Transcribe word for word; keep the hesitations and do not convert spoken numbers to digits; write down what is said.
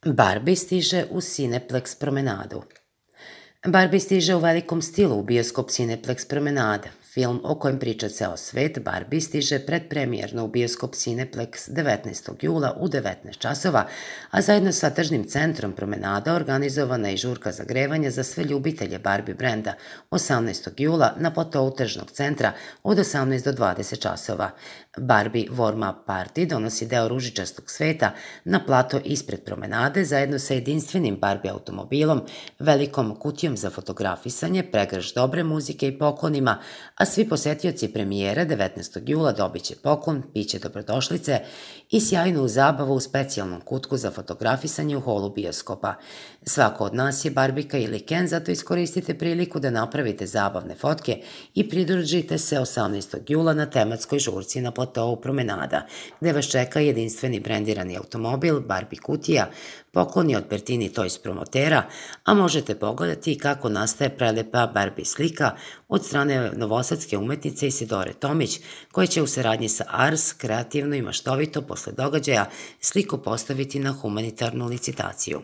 Barbie stiže u Cineplex promenadu. Barbie stiže u velikom stilu u bioskop Cineplex promenada. Film o kojem priča ceo svet, Barbie, stiže predpremijerno u bioskop Cineplex devetnaestog jula u devetnaest časova, a zajedno sa tržnim centrom promenada organizovana je i žurka zagrevanja za sve ljubitelje Barbie brenda osamnaestog jula na platou tržnog centra od osamnaest do dvadeset časova. Barbie Warm-up Party donosi deo ružičastog sveta na plato ispred promenade zajedno sa jedinstvenim Barbie automobilom, velikom kutijom za fotografisanje, pregršt dobre muzike i poklonima, a svi posetioci premijere devetnaestog jula dobit će poklon, piće dobrodošlice i sjajnu zabavu u specijalnom kutku za fotografisanje u holu bioskopa. Svako od nas je Barbika ili Ken, zato iskoristite priliku da napravite zabavne fotke i pridružite se osamnaestog jula na tematskoj žurci na platou promenada, gde vas čeka jedinstveni brendirani automobil, Barbie kutija, pokloni od Pertini Toys promotera, a možete pogledati i kako nastaje prelepa Barbie slika od strane novosadske umetnice Isidore Tomić, koja će u saradnji sa Ars kreativno i maštovito posle događaja sliku postaviti na humanitarnu licitaciju.